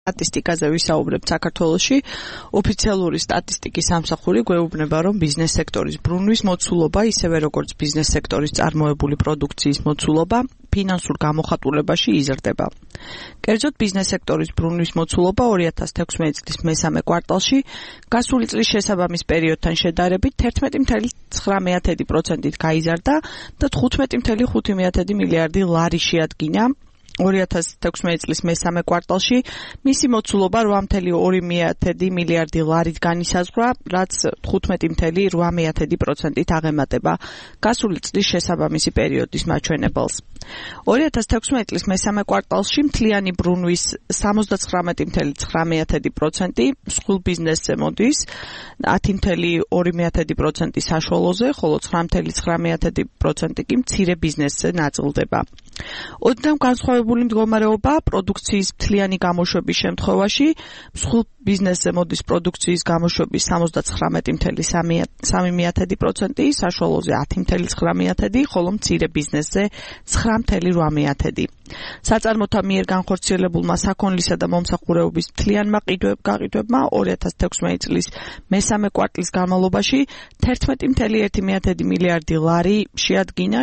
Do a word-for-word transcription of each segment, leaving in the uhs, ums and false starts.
სტატისტიკაზე ვისაუბრებთ საქართველოში, ოფიციალური სტატისტიკის სამსახური გვეუბნება, რომ ბიზნეს სექტორის ბრუნვის მოცულობა, ისევე როგორც ბიზნეს სექტორის წარმოებული პროდუქციის მოცულობა, ფინანსურ გამოხატულებაში იზრდება. კერძოდ, ბიზნეს სექტორის ბრუნვის მოცულობა ორი ათას თექვსმეტი წლის მესამე კვარტალში გასული წლის შესაბამის პერიოდთან შედარებით თერთმეტი წუთი ცხრა პროცენტით გაიზარდა და თხუთმეტი წუთი ხუთი მილიარდი ლარი შეადგინა. ორი ათას თექვსმეტი წლის მესამე კვარტალში მისი მოცულობა რვა წუთი ორი მილიარდი ლარით განისაზღვრა, რაც თხუთმეტი წუთი რვა პროცენტით აღემატება გასული წლის შესაბამისი პერიოდის მაჩვენებელს. ორი ათას თექვსმეტი წლის მესამე კვარტალში მთლიანი ბრუნვის სამოცდაცხრამეტი წუთი ცხრა პროცენტი მსხვილ ბიზნესზე მოდის, ათი წუთი ორი პროცენტი საშუალოზე, ხოლო ცხრა წუთი ცხრა პროცენტი კი მცირე ბიზნესზე ნაწილდება. ოდნავ განსხვავებული მდგომარეობა პროდუქციის მთლიანი გამოშვების შემთხვევაში, მსხვილ ბიზნესზე მოდის პროდუქციის გამოშვების სამოცდაცხრამეტი წუთი სამი პროცენტი, საშუალოზე ათი წუთი ცხრა პროცენტი, ხოლო მცირე ბიზნესზე ცხრა წუთი რვა პროცენტი. საწარმოთა მიერ განხორციელებულმა საქონლისა და მომსახურეობის მთლიანმა გაყიდვებმა ორი ათას თექვსმეტი წლის მესამე კვარტლის განმავლობაში თერთმეტი წუთი ერთი მილიარდი ლარი შეადგინა,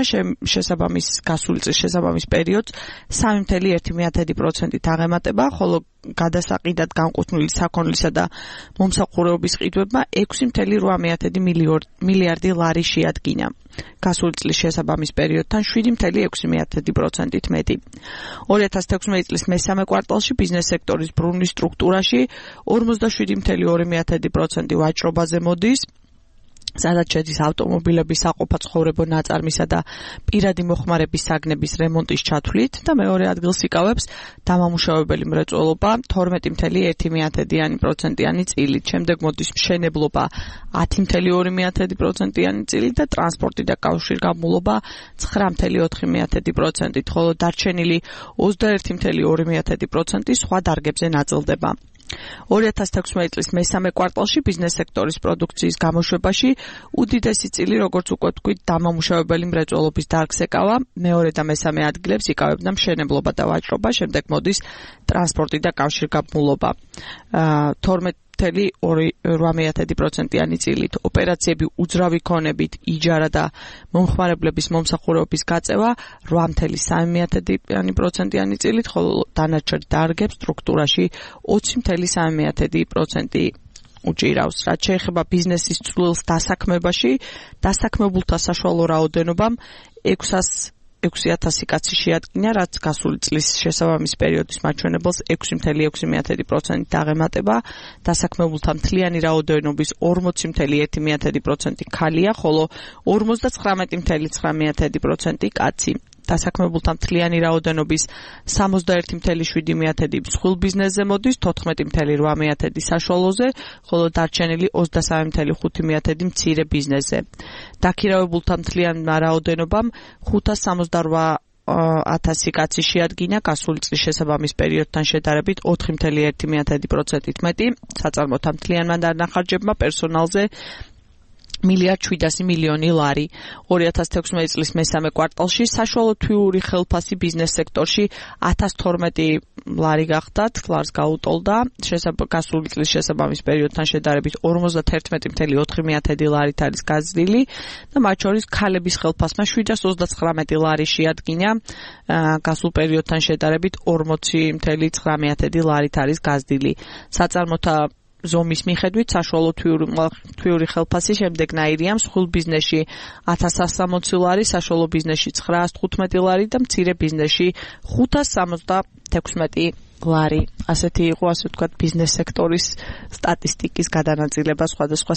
შესაბამის გასული წლის შესაბამის პერიოდს სამი წუთი ერთი პროცენტით აღემატება, ხოლო გადასაყიდად განკუთვნილი საქონლისა და მომსახურეობის ყიდვებმა ექვსი წუთი რვა მილიარდი ლარი შეადგინა. გასული წლის შესაბამის პერიოდთან შვიდი წუთი ექვსი პროცენტით მეტი. ორი ათას თექვსმეტი წლის მესამე კვარტალში ბიზნეს სექტორის ბრუნვის სტრუქტურაში ორმოცდაშვიდი წუთი ორი პროცენტი ვაჭრობაზე მოდის, სადაც შედის ავტომობილების საყოფა ცხოვრებო ნაწარმისა და პირადი მოხმარების საგნების რემონტის ჩათვლით და მეორე ადგილს იკავებს დამამუშავებელი მრეწველობა თორმეტი წუთი ერთი პროცენტიანი წილით. შემდეგ მოდის მშენებლობა ათი წუთი ორი პროცენტიანი წილით და ტრანსპორტი და კავშირგაბმულობა ცხრა წუთი ოთხი პროცენტით, ხოლო დარჩენილი ოცდაერთი წუთი ორი პროცენტი სხვა დარგებზე ნაწილდება. ორი ათას თექვსმეტი წლის მესამე კვარტალში ბიზნეს სექტორის პროდუქციის გამოშვებაში უდიდესი წილი, როგორც უკვე ვთქვით, დამამუშავებელი მრეწველობის დარგს ეკავა, მეორე და მესამე ადგილებს იკავებდა მშენებლობა და ვაჭრობა, შემდეგ მოდის ტრანსპორტი და კავშირგაბმულობა თორმეტი წუთი ორი პროცენტიანი წილით. ოპერაციები უძრავი ქონებით, იჯარა და მომხმარებლების მომსახურეობის გაწევა რვა წუთი სამი პროცენტიანი წილით, ხოლო დანარჩენ დარგებს სტრუქტურაში ოცი წუთი სამი პროცენტი უჭირავს. რაც შეეხება ბიზნესის ცვლილს დასაქმებაში, დასაქმებულთა საშუალო რაოდენობამ ექვსი ათასი კაცი შეადგინა, რაც გასული წლის შესაბამის პერიოდის მაჩვენებელს ექვსი წუთი ექვსი პროცენტით აღემატება. დასაქმებულთა მთლიანი რაოდენობის ორმოცი წუთი ერთი პროცენტი ქალია, ხოლო ორმოცდაცხრამეტი წუთი ცხრა პროცენტი კაცი. დასაქმებულთა მთლიანი რაოდენობის სამოცდაერთი წუთი შვიდი მსხვილ ბიზნესზე მოდის, თოთხმეტი წუთი რვა საშუალოზე, ხოლო დარჩენილი ოცდასამი წუთი ხუთი მცირე ბიზნესზე. დაქირავებულთა მთლიან რაოდენობამ ხუთას სამოცდარვა ათასი კაცი შეადგინა, გასული წლის შესაბამის პერიოდთან შედარებით ოთხი წუთი ერთი პროცენტით მეტი. საწარმოთა მთლიანმა დანახარჯებმა პერსონალზე მილიარდ შვიდასი მილიონი ლარი. ორი ათას თექვსმეტი წლის მესამე კვარტალში საშუალო თვიური ხელფასი ბიზნეს სექტორში ათას თორმეტი ლარი გახდათ, ლარს გაუტოლდა, გასული წლის შესაბამის პერიოდთან შედარებით ორმოცდათერთმეტი წუთი ოთხი ლარით არის გაზრდილი და მათ შორის ქალების ხელფასმა შვიდას ოცდაცხრამეტი ლარი შეადგინა, გასულ პერიოდთან შედარებით ორმოცი წუთი ცხრა ლარით არის გაზრდილი. საწარმოთა ზომის მიხედვით საშუალო თვიური ხელფასი შემდეგნაირია: მსხვილ ბიზნესში ათას სასამოცი ლარი, საშუალო ბიზნესში ცხრაას თხუთმეტი ლარი და მცირე ბიზნესში ხუთას სამოცდათექვსმეტი ლარი. ასეთი იყო, ასე ვთქვათ, ბიზნეს სექტორის სტატისტიკის გადანაწილება სხვადასხვა